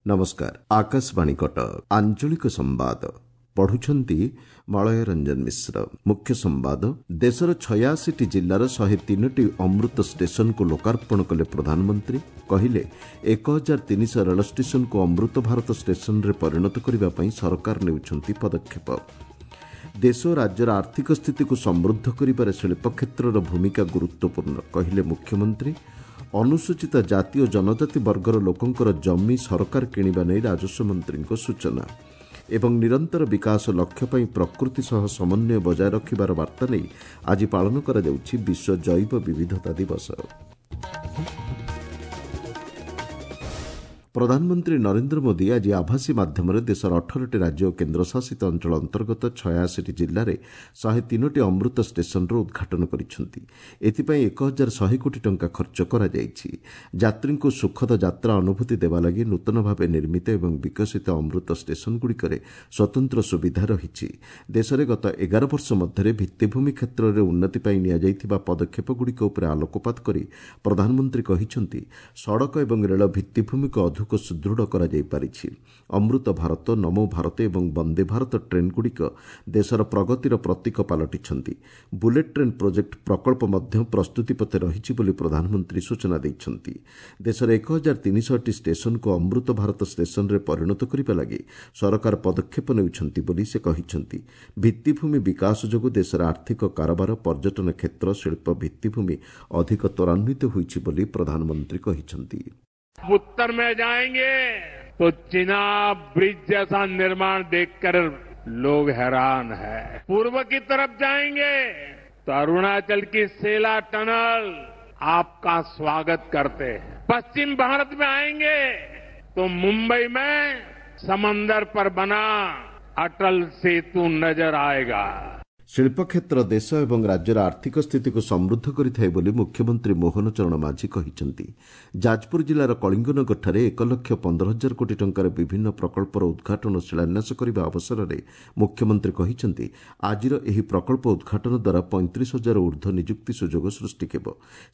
ନମସ୍କାର, ଆକାଶବାଣୀ କଟକ। ଆଞ୍ଚଳିକ ସମ୍ବାଦ ପଢୁଛନ୍ତି ମଳୟ ରଞ୍ଜନ ମିଶ୍ର। ମୁଖ୍ୟ ସମ୍ବାଦ। ଦେଶର 86ଟି ଜିଲ୍ଲାର 103ଟି ଅମୃତ ଷ୍ଟେସନକୁ ଲୋକାର୍ପଣ କଲେ ପ୍ରଧାନମନ୍ତ୍ରୀ। କହିଲେ, 1300 ରେଳ ଷ୍ଟେସନକୁ ଅମୃତ ଭାରତ ଷ୍ଟେସନରେ ପରିଣତ କରିବା ପାଇଁ ସରକାର ନେଉଛନ୍ତି ପଦକ୍ଷେପ। ଦେଶ ଓ ରାଜ୍ୟର ଆର୍ଥିକ ସ୍ଥିତିକୁ ସମୃଦ୍ଧ କରିବାରେ ଶିଳ୍ପ କ୍ଷେତ୍ରର ଭୂମିକା ଗୁରୁତ୍ୱପୂର୍ଣ୍ଣ, କହିଲେ ମୁଖ୍ୟମନ୍ତ୍ରୀ। ଅନୁସୂଚିତ ଜାତି ଓ ଜନଜାତି ବର୍ଗର ଲୋକଙ୍କର ଜମି ସରକାର କିଣିବା ନେଇ ରାଜସ୍ୱ ମନ୍ତ୍ରୀଙ୍କ ସୂଚନା। ଏବଂ ନିରନ୍ତର ବିକାଶ ଲକ୍ଷ୍ୟ ପାଇଁ ପ୍ରକୃତି ସହ ସମନ୍ୱୟ ବଜାୟ ରଖିବାର ବାର୍ତ୍ତା ନେଇ ଆଜି ପାଳନ କରାଯାଉଛି ବିଶ୍ୱ ଜୈବ ବିବିଧତା ଦିବସ। ପ୍ରଧାନମନ୍ତ୍ରୀ ନରେନ୍ଦ୍ର ମୋଦି ଆଜି ଆଭାସୀ ମାଧ୍ୟମରେ ଦେଶର 18ଟି ରାଜ୍ୟ ଓ କେନ୍ଦ୍ରଶାସିତ ଅଞ୍ଚଳ ଅନ୍ତର୍ଗତ 86ଟି ଜିଲ୍ଲାରେ 103ଟି ଅମୃତ ଷ୍ଟେସନର ଉଦ୍ଘାଟନ କରିଛନ୍ତି। ଏଥିପାଇଁ 1100 କୋଟି ଟଙ୍କା ଖର୍ଚ୍ଚ କରାଯାଇଛି। ଯାତ୍ରୀଙ୍କୁ ସୁଖଦ ଯାତ୍ରା ଅନୁଭୂତି ଦେବା ଲାଗି ନୂତନ ଭାବେ ନିର୍ମିତ ଏବଂ ବିକଶିତ ଅମୃତ ଷ୍ଟେସନଗୁଡ଼ିକରେ ସ୍ୱତନ୍ତ୍ର ସୁବିଧା ରହିଛି। ଦେଶରେ ଗତ 11 ବର୍ଷ ମଧ୍ୟରେ ଭିତ୍ତିଭୂମି କ୍ଷେତ୍ରରେ ଉନ୍ନତି ପାଇଁ ନିଆଯାଇଥିବା ପଦକ୍ଷେପଗୁଡ଼ିକ ଉପରେ ଆଲୋକପାତ କରି ପ୍ରଧାନମନ୍ତ୍ରୀ କହିଛନ୍ତି, ସଡ଼କ ଏବଂ ରେଳ ଭିତ୍ତିଭୂମିକୁ ଅଧିକ ସୁଦୃଢ଼ କରାଯାଇପାରିଛି। ଅମୃତ ଭାରତ, ନମୋ ଭାରତ ଏବଂ ବନ୍ଦେ ଭାରତ ଟ୍ରେନ୍ଗୁଡ଼ିକ ଦେଶର ପ୍ରଗତିର ପ୍ରତୀକ ପାଲଟିଛନ୍ତି। ବୁଲେଟ୍ ଟ୍ରେନ୍ ପ୍ରୋଜେକ୍ଟ ପ୍ରକଳ୍ପ ମଧ୍ୟ ପ୍ରସ୍ତୁତି ପଥେ ରହିଛି ବୋଲି ପ୍ରଧାନମନ୍ତ୍ରୀ ସୂଚନା ଦେଇଛନ୍ତି। ଦେଶର 1300ଟି ଷ୍ଟେସନକୁ ଅମୃତ ଭାରତ ଷ୍ଟେସନରେ ପରିଣତ କରିବା ଲାଗି ସରକାର ପଦକ୍ଷେପ ନେଉଛନ୍ତି ବୋଲି ସେ କହିଛନ୍ତି। ଭିତ୍ତିଭୂମି ବିକାଶ ଯୋଗୁଁ ଦେଶର ଆର୍ଥିକ କାରବାର, ପର୍ଯ୍ୟଟନ କ୍ଷେତ୍ର, ଶିଳ୍ପ ଭିତ୍ତିଭୂମି ଅଧିକ ତ୍ୱରାନ୍ୱିତ ହୋଇଛି ବୋଲି ପ୍ରଧାନମନ୍ତ୍ରୀ କହିଛନ୍ତି। उत्तर में जाएंगे तो चिनाब ब्रिज जैसा निर्माण देखकर लोग हैरान हैं। पूर्व की तरफ जाएंगे तो अरुणाचल की सेला टनल आपका स्वागत करते हैं। पश्चिम भारत में आएंगे तो मुंबई में समंदर पर बना अटल सेतु नजर आएगा। ଶିଳ୍ପ କ୍ଷେତ୍ର ଦେଶ ଏବଂ ରାଜ୍ୟର ଆର୍ଥିକ ସ୍ଥିତିକୁ ସମୃଦ୍ଧ କରିଥାଏ ବୋଲି ମୁଖ୍ୟମନ୍ତ୍ରୀ ମୋହନ ଚରଣ ମାଝୀ କହିଛନ୍ତି। ଯାଜପୁର ଜିଲ୍ଲାର କଳିଙ୍ଗନଗରଠାରେ 1,15,000 କୋଟି ଟଙ୍କାର ବିଭିନ୍ନ ପ୍ରକଳ୍ପର ଉଦ୍ଘାଟନ ଓ ଶିଳାନ୍ୟାସ କରିବା ଅବସରରେ ମୁଖ୍ୟମନ୍ତ୍ରୀ କହିଛନ୍ତି, ଆଜିର ଏହି ପ୍ରକଳ୍ପ ଉଦ୍ଘାଟନ ଦ୍ୱାରା 35,000 ଉର୍ଦ୍ଧ୍ୱ ନିଯୁକ୍ତି ସୁଯୋଗ ସୃଷ୍ଟି ହେବ।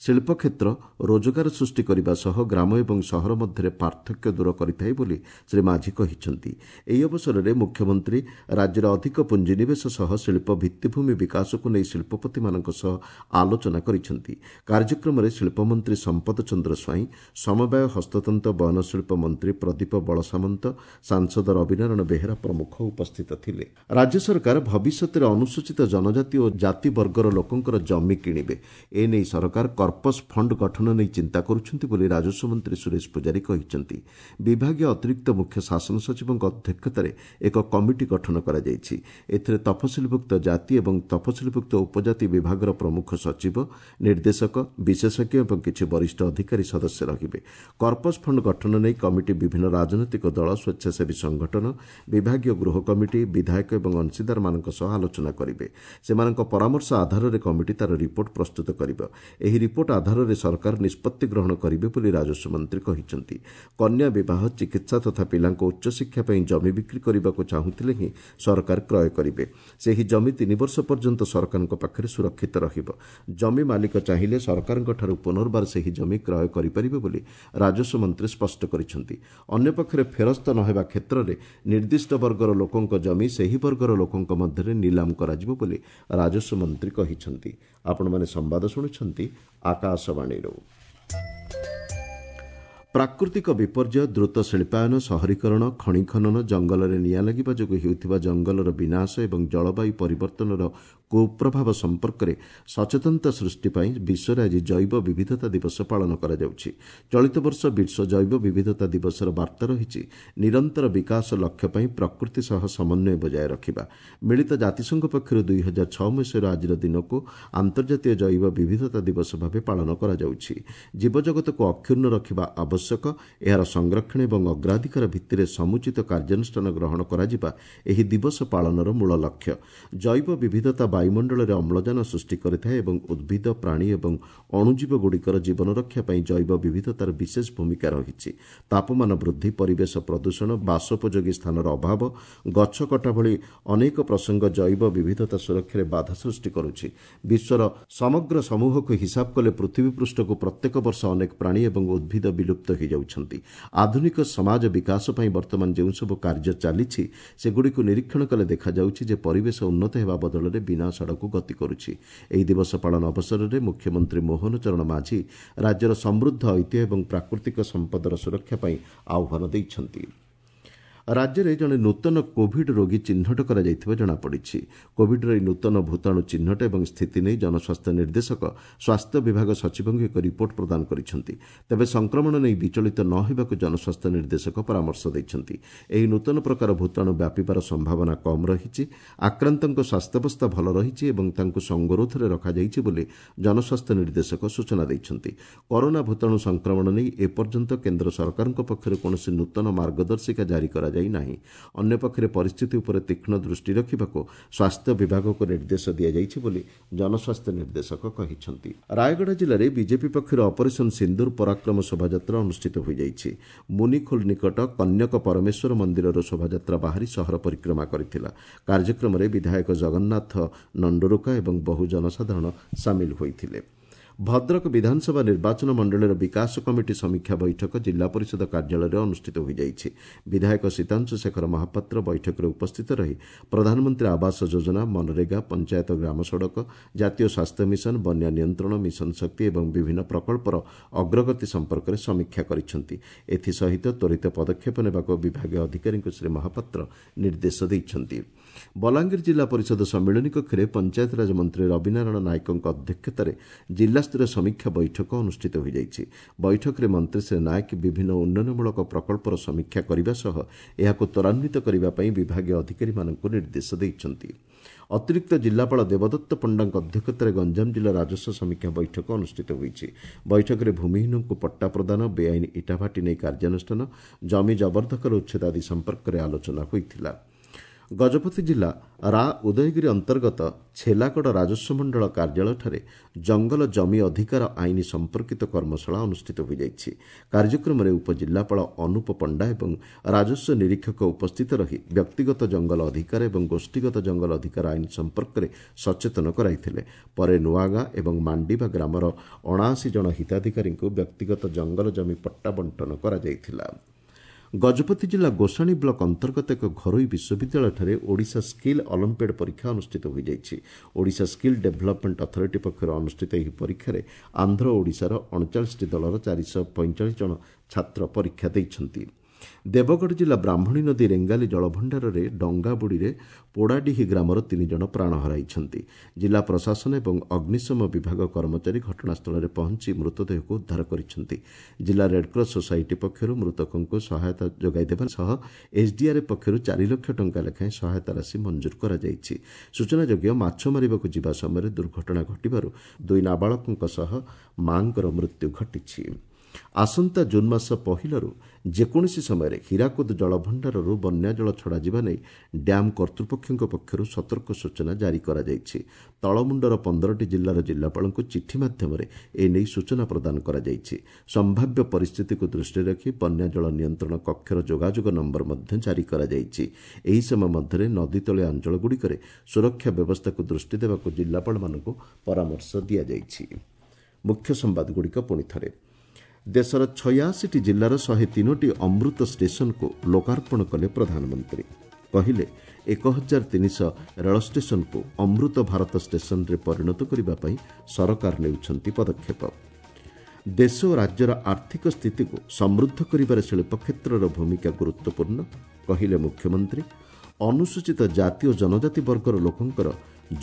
ଶିଳ୍ପ କ୍ଷେତ୍ର ରୋଜଗାର ସୃଷ୍ଟି କରିବା ସହ ଗ୍ରାମ ଏବଂ ସହର ମଧ୍ୟରେ ପାର୍ଥକ୍ୟ ଦୂର କରିଥାଏ ବୋଲି ଶ୍ରୀ ମାଝୀ କହିଛନ୍ତି। ଏହି ଅବସରରେ ମୁଖ୍ୟମନ୍ତ୍ରୀ ରାଜ୍ୟରେ ଅଧିକ ପୁଞ୍ଜିନିବେଶ ସହ ଶିଳ୍ପ ଭିତ୍ତିଭୂମି ବିକାଶକୁ ନେଇ ଶିଳ୍ପପତିମାନଙ୍କ ସହ ଆଲୋଚନା କରିଛନ୍ତି। କାର୍ଯ୍ୟକ୍ରମରେ ଶିଳ୍ପମନ୍ତ୍ରୀ ସମ୍ପଦ ଚନ୍ଦ୍ର ସ୍ୱାଇଁ, ସମବାୟ, ହସ୍ତତନ୍ତ, ବୟନଶିଳ୍ପ ମନ୍ତ୍ରୀ ପ୍ରଦୀପ ବଳସାମନ୍ତ, ସାଂସଦ ରବିନାରାୟଣ ବେହେରା ପ୍ରମୁଖ ଉପସ୍ଥିତ ଥିଲେ। ରାଜ୍ୟ ସରକାର ଭବିଷ୍ୟତରେ ଅନୁସୂଚିତ ଜନଜାତି ଓ ଜାତି ବର୍ଗର ଲୋକଙ୍କର ଜମି କିଣିବେ। ଏନେଇ ସରକାର କର୍ପସ୍ ଫଣ୍ଡ ଗଠନ ନେଇ ଚିନ୍ତା କରୁଛନ୍ତି ବୋଲି ରାଜସ୍ୱ ମନ୍ତ୍ରୀ ସୁରେଶ ପୂଜାରୀ କହିଛନ୍ତି। ବିଭାଗୀୟ ଅତିରିକ୍ତ ମୁଖ୍ୟ ଶାସନ ସଚିବଙ୍କ ଅଧ୍ୟକ୍ଷତାରେ ଏକ କମିଟି ଗଠନ କରାଯାଇଛି। ଏଥିରେ ତଫସିଲଭୁକ୍ତ ଜାତି ଏବଂ ତଫସିଲଭୁକ୍ତ ଉପଜାତି ବିଭାଗର ପ୍ରମୁଖ ସଚିବ, ନିର୍ଦ୍ଦେଶକ, ବିଶେଷଜ୍ଞ ଏବଂ କିଛି ବରିଷ୍ଠ ଅଧିକାରୀ ସଦସ୍ୟ ରହିବେ। କର୍ପସ୍ ଫଣ୍ଡ ଗଠନ ନେଇ କମିଟି ବିଭିନ୍ନ ରାଜନୈତିକ ଦଳ, ସ୍ୱେଚ୍ଛାସେବୀ ସଂଗଠନ, ବିଭାଗୀୟ ଗୃହ କମିଟି, ବିଧାୟକ ଏବଂ ଅଂଶୀଦାରମାନଙ୍କ ସହ ଆଲୋଚନା କରିବେ। ସେମାନଙ୍କ ପରାମର୍ଶ ଆଧାରରେ କମିଟି ତା'ର ରିପୋର୍ଟ ପ୍ରସ୍ତୁତ କରିବ। ଏହି ରିପୋର୍ଟ ଆଧାରରେ ସରକାର ନିଷ୍ପତ୍ତି ଗ୍ରହଣ କରିବେ ବୋଲି ରାଜସ୍ୱ ମନ୍ତ୍ରୀ କହିଛନ୍ତି। କନ୍ୟା ବିବାହ, ଚିକିତ୍ସା ତଥା ପିଲାଙ୍କ ଉଚ୍ଚଶିକ୍ଷା ପାଇଁ ଜମି ବିକ୍ରି କରିବାକୁ ଚାହୁଁଥିଲେ ହିଁ ସରକାର କ୍ରୟ କରିବେ। ସେହି ଜମି 3 ବର୍ଷ ପର୍ଯ୍ୟନ୍ତ ସରକାରଙ୍କ ପାଖରେ ସୁରକ୍ଷିତ ରହିବ। ଜମି ମାଲିକ ଚାହିଁଲେ ସରକାରଙ୍କଠାରୁ ପୁନର୍ବାର ସେହି ଜମି କ୍ରୟ କରିପାରିବେ ବୋଲି ରାଜସ୍ୱ ମନ୍ତ୍ରୀ ସ୍ପଷ୍ଟ କରିଛନ୍ତି। ଅନ୍ୟପକ୍ଷରେ ଫେରସ୍ତ ନ ହେବା କ୍ଷେତ୍ରରେ ନିର୍ଦ୍ଦିଷ୍ଟ ବର୍ଗର ଲୋକଙ୍କ ଜମି ସେହି ବର୍ଗର ଲୋକଙ୍କ ମଧ୍ୟରେ ନିଲାମ କରାଯିବ ବୋଲି ରାଜସ୍ୱ ମନ୍ତ୍ରୀ କହିଛନ୍ତି। ଆପଣମାନେ ସମ୍ବାଦ ଶୁଣୁଛନ୍ତି ଆକାଶବାଣୀରୁ। ପ୍ରାକୃତିକ ବିପର୍ଯ୍ୟୟ, ଦ୍ରୁତ ଶିଳ୍ପାୟନ, ସହରୀକରଣ, ଖଣି ଖନନ, ଜଙ୍ଗଲରେ ନିଆଁ ଲାଗିବା ଯୋଗୁଁ ହେଉଥିବା ଜଙ୍ଗଲର ବିନାଶ ଏବଂ ଜଳବାୟୁ ପରିବର୍ତ୍ତନର କୁପ୍ରଭାବ ସମ୍ପର୍କରେ ସଚେତନତା ସୃଷ୍ଟି ପାଇଁ ବିଶ୍ୱରେ ଆଜି ଜୈବ ବିବିଧତା ଦିବସ ପାଳନ କରାଯାଉଛି। ଚଳିତ ବର୍ଷ ବିଶ୍ୱ ଜୈବ ବିବିଧତା ଦିବସର ବାର୍ତ୍ତା ରହିଛି, ନିରନ୍ତର ବିକାଶ ଲକ୍ଷ୍ୟ ପାଇଁ ପ୍ରକୃତି ସହ ସମନ୍ୱୟ ବଜାୟ ରଖିବା। ମିଳିତ ଜାତିସଂଘ ପକ୍ଷରୁ 2006 ମସିହାରୁ ଆଜିର ଦିନକୁ ଆନ୍ତର୍ଜାତୀୟ ଜୈବ ବିବିଧତା ଦିବସ ଭାବେ ପାଳନ କରାଯାଉଛି। ଜୀବଜଗତକୁ ଅକ୍ଷୁଣ୍ଣ ରଖିବା ଆବଶ୍ୟକ ଆବଶ୍ୟକ। ଏହାର ସଂରକ୍ଷଣ ଏବଂ ଅଗ୍ରାଧିକାର ଭିତ୍ତିରେ ସମୁଚିତ କାର୍ଯ୍ୟାନୁଷ୍ଠାନ ଗ୍ରହଣ କରାଯିବା ଏହି ଦିବସ ପାଳନର ମୂଳ ଲକ୍ଷ୍ୟ। ଜୈବ ବିବିଧତା ବାୟୁମଣ୍ଡଳରେ ଅମ୍ଳଜାନ ସୃଷ୍ଟି କରିଥାଏ ଏବଂ ଉଦ୍ଭିଦ, ପ୍ରାଣୀ ଏବଂ ଅଣୁଜୀବଗୁଡ଼ିକର ଜୀବନ ରକ୍ଷା ପାଇଁ ଜୈବ ବିବିଧତାର ବିଶେଷ ଭୂମିକା ରହିଛି। ତାପମାନ ବୃଦ୍ଧି, ପରିବେଶ ପ୍ରଦୂଷଣ, ବାସୋପଯୋଗୀ ସ୍ଥାନର ଅଭାବ, ଗଛ କଟା ଭଳି ଅନେକ ପ୍ରସଙ୍ଗ ଜୈବ ବିବିଧତା ସୁରକ୍ଷାରେ ବାଧା ସୃଷ୍ଟି କରୁଛି। ବିଶ୍ୱର ସମଗ୍ର ସମୂହକୁ ହିସାବ କଲେ ପୃଥିବୀ ପୃଷ୍ଠକୁ ପ୍ରତ୍ୟେକ ବର୍ଷ ଅନେକ ପ୍ରାଣୀ ଏବଂ ଉଦ୍ଭିଦ ବିଲୁପ୍ତ ହୋଇଯାଉଛନ୍ତି। ଆଧୁନିକ ସମାଜ ବିକାଶ ପାଇଁ ବର୍ତ୍ତମାନ ଯେଉଁସବୁ କାର୍ଯ୍ୟ ଚାଲିଛି, ସେଗୁଡ଼ିକୁ ନିରୀକ୍ଷଣ କଲେ ଦେଖାଯାଉଛି ଯେ ପରିବେଶ ଉନ୍ନତ ହେବା ବଦଳରେ ବିନାଶ ଆଡ଼କୁ ଗତି କରୁଛି। ଏହି ଦିବସ ପାଳନ ଅବସରରେ ମୁଖ୍ୟମନ୍ତ୍ରୀ ମୋହନ ଚରଣ ମାଝୀ ରାଜ୍ୟର ସମୃଦ୍ଧ ଐତିହ୍ୟ ଏବଂ ପ୍ରାକୃତିକ ସମ୍ପଦର ସୁରକ୍ଷା ପାଇଁ ଆହ୍ୱାନ ଦେଇଛନ୍ତି। ରାଜ୍ୟରେ ଜଣେ ନୂତନ କୋଭିଡ୍ ରୋଗୀ ଚିହ୍ନଟ କରାଯାଇଥିବା ଜଣାପଡ଼ିଛି। କୋଭିଡ୍ର ଏହି ନୂତନ ଭୂତାଣୁ ଚିହ୍ନଟ ଏବଂ ସ୍ଥିତି ନେଇ ଜନସ୍ୱାସ୍ଥ୍ୟ ନିର୍ଦ୍ଦେଶକ ସ୍ୱାସ୍ଥ୍ୟ ବିଭାଗ ସଚିବଙ୍କୁ ଏକ ରିପୋର୍ଟ ପ୍ରଦାନ କରିଛନ୍ତି। ତେବେ ସଂକ୍ରମଣ ନେଇ ବିଚଳିତ ନ ହେବାକୁ ଜନସ୍ୱାସ୍ଥ୍ୟ ନିର୍ଦ୍ଦେଶକ ପରାମର୍ଶ ଦେଇଛନ୍ତି। ଏହି ନୂତନ ପ୍ରକାର ଭୂତାଣୁ ବ୍ୟାପିବାର ସମ୍ଭାବନା କମ୍ ରହିଛି। ଆକ୍ରାନ୍ତଙ୍କ ସ୍ୱାସ୍ଥ୍ୟାବସ୍ଥା ଭଲ ରହିଛି ଏବଂ ତାଙ୍କୁ ସଙ୍ଗରୋଧରେ ରଖାଯାଇଛି ବୋଲି ଜନସ୍ୱାସ୍ଥ୍ୟ ନିର୍ଦ୍ଦେଶକ ସୂଚନା ଦେଇଛନ୍ତି। କରୋନା ଭୂତାଣୁ ସଂକ୍ରମଣ ନେଇ ଏପର୍ଯ୍ୟନ୍ତ କେନ୍ଦ୍ର ସରକାରଙ୍କ ପକ୍ଷରୁ କୌଣସି ନୂତନ ମାର୍ଗଦର୍ଶିକା ଜାରି କରାଯାଇ ନାହିଁ। ଅନ୍ୟପକ୍ଷରେ ପରିସ୍ଥିତି ଉପରେ ତୀକ୍ଷ୍ଣ ଦୃଷ୍ଟି ରଖିବାକୁ ସ୍ୱାସ୍ଥ୍ୟ ବିଭାଗକୁ ନିର୍ଦ୍ଦେଶ ଦିଆଯାଇଛି ବୋଲି ଜନସ୍ୱାସ୍ଥ୍ୟ ନିର୍ଦ୍ଦେଶକ କହିଛନ୍ତି। ରାୟଗଡ଼ା ଜିଲ୍ଲାରେ ବିଜେପି ପକ୍ଷରୁ ଅପରେସନ୍ ସିନ୍ଦୁର ପରାକ୍ରମ ଶୋଭାଯାତ୍ରା ଅନୁଷ୍ଠିତ ହୋଇଯାଇଛି। ମୁନିଖୋଲ ନିକଟ କନ୍ୟକ ପରମେଶ୍ୱର ମନ୍ଦିରରୁ ଶୋଭାଯାତ୍ରା ବାହାରି ସହର ପରିକ୍ରମା କରିଥିଲା। କାର୍ଯ୍ୟକ୍ରମରେ ବିଧାୟକ ଜଗନ୍ନାଥ ନଣ୍ଡୁରୁକା ଏବଂ ବହୁ ଜନସାଧାରଣ ସାମିଲ ହୋଇଥିଲେ। ଭଦ୍ରକ ବିଧାନସଭା ନିର୍ବାଚନ ମଣ୍ଡଳୀର ବିକାଶ କମିଟି ସମୀକ୍ଷା ବୈଠକ ଜିଲ୍ଲା ପରିଷଦ କାର୍ଯ୍ୟାଳୟରେ ଅନୁଷ୍ଠିତ ହୋଇଯାଇଛି। ବିଧାୟକ ସୀତାଂଶୁ ଶେଖର ମହାପାତ୍ର ବୈଠକରେ ଉପସ୍ଥିତ ରହି ପ୍ରଧାନମନ୍ତ୍ରୀ ଆବାସ ଯୋଜନା, ମନରେଗା, ପଞ୍ଚାୟତ ଗ୍ରାମ ସଡ଼କ, ଜାତୀୟ ସ୍ୱାସ୍ଥ୍ୟ ମିଶନ, ବନ୍ୟା ନିୟନ୍ତ୍ରଣ, ମିଶନ ଶକ୍ତି ଏବଂ ବିଭିନ୍ନ ପ୍ରକଳ୍ପର ଅଗ୍ରଗତି ସମ୍ପର୍କରେ ସମୀକ୍ଷା କରିଛନ୍ତି। ଏଥିସହିତ ତ୍ୱରିତ ପଦକ୍ଷେପ ନେବାକୁ ବିଭାଗୀୟ ଅଧିକାରୀଙ୍କୁ ଶ୍ରୀ ମହାପାତ୍ର ନିର୍ଦ୍ଦେଶ ଦେଇଛନ୍ତି। ବଲାଙ୍ଗୀର ଜିଲ୍ଲା ପରିଷଦ ସମ୍ମିଳନୀ କକ୍ଷରେ ପଞ୍ଚାୟତରାଜ ମନ୍ତ୍ରୀ ରବିନାରାୟଣ ନାୟକଙ୍କ ଅଧ୍ୟକ୍ଷତାରେ ଜିଲ୍ଲାସ୍ତରୀୟ ସମୀକ୍ଷା ବୈଠକ ଅନୁଷ୍ଠିତ ହୋଇଯାଇଛି। ବୈଠକରେ ମନ୍ତ୍ରୀ ଶ୍ରୀ ନାୟକ ବିଭିନ୍ନ ଉନ୍ନୟନମୂଳକ ପ୍ରକଳ୍ପର ସମୀକ୍ଷା କରିବା ସହ ଏହାକୁ ତ୍ୱରାନ୍ୱିତ କରିବା ପାଇଁ ବିଭାଗୀୟ ଅଧିକାରୀମାନଙ୍କୁ ନିର୍ଦ୍ଦେଶ ଦେଇଛନ୍ତି। ଅତିରିକ୍ତ ଜିଲ୍ଲାପାଳ ଦେବଦତ୍ତ ପଣ୍ଡାଙ୍କ ଅଧ୍ୟକ୍ଷତାରେ ଗଞ୍ଜାମ ଜିଲ୍ଲା ରାଜସ୍ୱ ସମୀକ୍ଷା ବୈଠକ ଅନୁଷ୍ଠିତ ହୋଇଛି। ବୈଠକରେ ଭୂମିହୀନଙ୍କୁ ପଟ୍ଟା ପ୍ରଦାନ, ବେଆଇନ ଇଟାଭାଟି ନେଇ କାର୍ଯ୍ୟାନୁଷ୍ଠାନ, ଜମି ଜବରଦଖଲ ଉଚ୍ଛେଦ ଆଦି ସମ୍ପର୍କରେ ଆଲୋଚନା ହୋଇଥିଲା। ଗଜପତି ଜିଲ୍ଲା ରା ଉଦୟଗିରି ଅନ୍ତର୍ଗତ ଛେଲାଗଡ଼ ରାଜସ୍ୱ ମଣ୍ଡଳ କାର୍ଯ୍ୟାଳୟଠାରେ ଜଙ୍ଗଲ ଜମି ଅଧିକାର ଆଇନ ସମ୍ପର୍କିତ କର୍ମଶାଳା ଅନୁଷ୍ଠିତ ହୋଇଯାଇଛି। କାର୍ଯ୍ୟକ୍ରମରେ ଉପଜିଲ୍ଲାପାଳ ଅନୁପ ପଣ୍ଡା ଏବଂ ରାଜସ୍ୱ ନିରୀକ୍ଷକ ଉପସ୍ଥିତ ରହି ବ୍ୟକ୍ତିଗତ ଜଙ୍ଗଲ ଅଧିକାର ଏବଂ ଗୋଷ୍ଠୀଗତ ଜଙ୍ଗଲ ଅଧିକାର ଆଇନ ସମ୍ପର୍କରେ ସଚେତନ କରାଇଥିଲେ। ପରେ ନୂଆଗାଁ ଏବଂ ମାଣ୍ଡିବା ଗ୍ରାମର 79 ଜଣ ହିତାଧିକାରୀଙ୍କୁ ବ୍ୟକ୍ତିଗତ ଜଙ୍ଗଲ ଜମି ପଟ୍ଟା ବଣ୍ଟନ କରାଯାଇଥିଲା। ଗଜପତି ଜିଲ୍ଲା ଗୋସାଣୀ ବ୍ଲକ ଅନ୍ତର୍ଗତ ଏକ ଘରୋଇ ବିଶ୍ୱବିଦ୍ୟାଳୟଠାରେ ଓଡ଼ିଶା ସ୍କିଲ୍ ଅଲିମ୍ପିଆଡ୍ ପରୀକ୍ଷା ଅନୁଷ୍ଠିତ ହୋଇଯାଇଛି। ଓଡ଼ିଶା ସ୍କିଲ୍ ଡେଭଲପମେଣ୍ଟ ଅଥରିଟି ପକ୍ଷରୁ ଅନୁଷ୍ଠିତ ଏହି ପରୀକ୍ଷାରେ ଆନ୍ଧ୍ର ଓଡ଼ିଶାର 39ଟି ଦଳର 445 ଜଣ ଛାତ୍ର ପରୀକ୍ଷା ଦେଇଛନ୍ତି। ଦେବଗଡ଼ ଜିଲ୍ଲା ବ୍ରାହ୍ମଣୀ ନଦୀ ରେଙ୍ଗାଲି ଜଳଭଣ୍ଡାରରେ ଡଙ୍ଗାବୁଡ଼ିରେ ପୋଡ଼ାଡିହି ଗ୍ରାମର 3 ଜଣ ପ୍ରାଣ ହରାଇଛନ୍ତି। ଜିଲ୍ଲା ପ୍ରଶାସନ ଏବଂ ଅଗ୍ନିଶମ ବିଭାଗ କର୍ମଚାରୀ ଘଟଣାସ୍ଥଳରେ ପହଞ୍ଚି ମୃତଦେହକୁ ଉଦ୍ଧାର କରିଛନ୍ତି। ଜିଲ୍ଲା ରେଡ୍କ୍ରସ୍ ସୋସାଇଟି ପକ୍ଷରୁ ମୃତକଙ୍କୁ ସହାୟତା ଯୋଗାଇ ଦେବା ସହ ଏସ୍ଡିଆର୍ଏଫ୍ ପକ୍ଷରୁ 4 ଲକ୍ଷ ଟଙ୍କା ଲେଖାଏଁ ସହାୟତା ରାଶି ମଞ୍ଜୁର କରାଯାଇଛି। ସୂଚନାଯୋଗ୍ୟ, ମାଛ ମାରିବାକୁ ଯିବା ସମୟରେ ଦୁର୍ଘଟଣା ଘଟିବାରୁ 2 ନାବାଳକଙ୍କ ସହ ମାଙ୍କର ମୃତ୍ୟୁ ଘଟିଛି। ଆସନ୍ତା ଜୁନ୍ ମାସ 1ରୁ ଯେକୌଣସି ସମୟରେ ହୀରାକୁଦ ଜଳଭଣ୍ଡାରରୁ ବନ୍ୟାଜଳ ଛଡ଼ାଯିବା ନେଇ ଡ୍ୟାମ୍ କର୍ତ୍ତୃପକ୍ଷଙ୍କ ପକ୍ଷରୁ ସତର୍କ ସୂଚନା ଜାରି କରାଯାଇଛି। ତଳମୁଣ୍ଡର 15ଟି ଜିଲ୍ଲାର ଜିଲ୍ଲାପାଳଙ୍କୁ ଚିଠି ମାଧ୍ୟମରେ ଏନେଇ ସୂଚନା ପ୍ରଦାନ କରାଯାଇଛି। ସମ୍ଭାବ୍ୟ ପରିସ୍ଥିତିକୁ ଦୃଷ୍ଟିରେ ରଖି ବନ୍ୟାଜଳ ନିୟନ୍ତ୍ରଣ କକ୍ଷର ଯୋଗାଯୋଗ ନମ୍ବର ମଧ୍ୟ ଜାରି କରାଯାଇଛି। ଏହି ସମୟ ମଧ୍ୟରେ ନଦୀତଳିଆ ଅଞ୍ଚଳଗୁଡ଼ିକରେ ସୁରକ୍ଷା ବ୍ୟବସ୍ଥାକୁ ଦୃଷ୍ଟି ଦେବାକୁ ଜିଲ୍ଲାପାଳମାନଙ୍କୁ ପରାମର୍ଶ ଦିଆଯାଇଛି। ମୁଖ୍ୟ ସମ୍ବାଦଗୁଡ଼ିକ ପୁଣି ଥରେ। ଦେଶର 86ଟି ଜିଲ୍ଲାର 103ଟି ଅମୃତ ଷ୍ଟେସନକୁ ଲୋକାର୍ପଣ କଲେ ପ୍ରଧାନମନ୍ତ୍ରୀ। କହିଲେ, 1300 ରେଳ ଷ୍ଟେସନକୁ ଅମୃତ ଭାରତ ଷ୍ଟେସନରେ ପରିଣତ କରିବା ପାଇଁ ସରକାର ନେଉଛନ୍ତି ପଦକ୍ଷେପ। ଦେଶ ଓ ରାଜ୍ୟର ଆର୍ଥିକ ସ୍ଥିତିକୁ ସମୃଦ୍ଧ କରିବାରେ ଶିଳ୍ପକ୍ଷେତ୍ରର ଭୂମିକା ଗୁରୁତ୍ୱପୂର୍ଣ୍ଣ, କହିଲେ ମୁଖ୍ୟମନ୍ତ୍ରୀ। ଅନୁସୂଚିତ ଜାତି ଓ ଜନଜାତି ବର୍ଗର ଲୋକଙ୍କର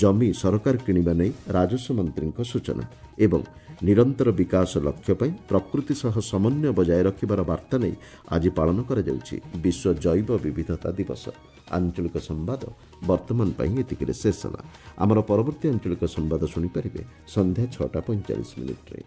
ଜମି ସରକାର କିଣିବା ନେଇ ରାଜସ୍ୱ ମନ୍ତ୍ରୀଙ୍କ ସୂଚନା। ଏବଂ ନିରନ୍ତର ବିକାଶ ଲକ୍ଷ୍ୟ ପାଇଁ ପ୍ରକୃତି ସହ ସମନ୍ୱୟ ବଜାୟ ରଖିବାର ବାର୍ତ୍ତା ନେଇ ଆଜି ପାଳନ କରାଯାଉଛି ବିଶ୍ୱ ଜୈବ ବିବିଧତା ଦିବସ। ଆଞ୍ଚଳିକ ସମ୍ବାଦ ବର୍ତ୍ତମାନ ପାଇଁ ଏତିକିରେ ଶେଷ ହେଲା। ଆମର ପରବର୍ତ୍ତୀ ଆଞ୍ଚଳିକ ସମ୍ବାଦ ଶୁଣିପାରିବେ ସନ୍ଧ୍ୟା 6ଟା 45 ମିନିଟ୍ରେ।